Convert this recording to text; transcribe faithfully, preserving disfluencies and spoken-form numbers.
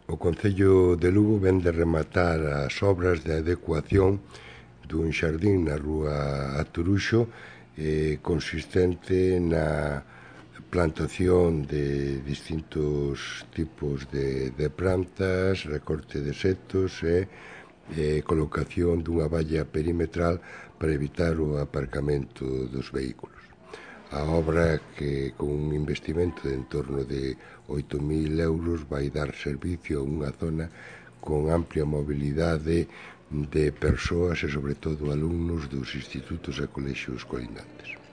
O Concello de Lugo vén de rematar as obras de adecuación dun xardín na rúa Aturuxo eh, consistente na plantación de distintos tipos de, de plantas, recorte de setos e eh, colocación dunha valla perimetral para evitar o aparcamento dos vehículos. A obra, que con un investimento de en torno de oito mil euros, vai dar servicio a unha zona con amplia mobilidade de persoas e, sobre todo, alumnos dos institutos e colexios colindantes.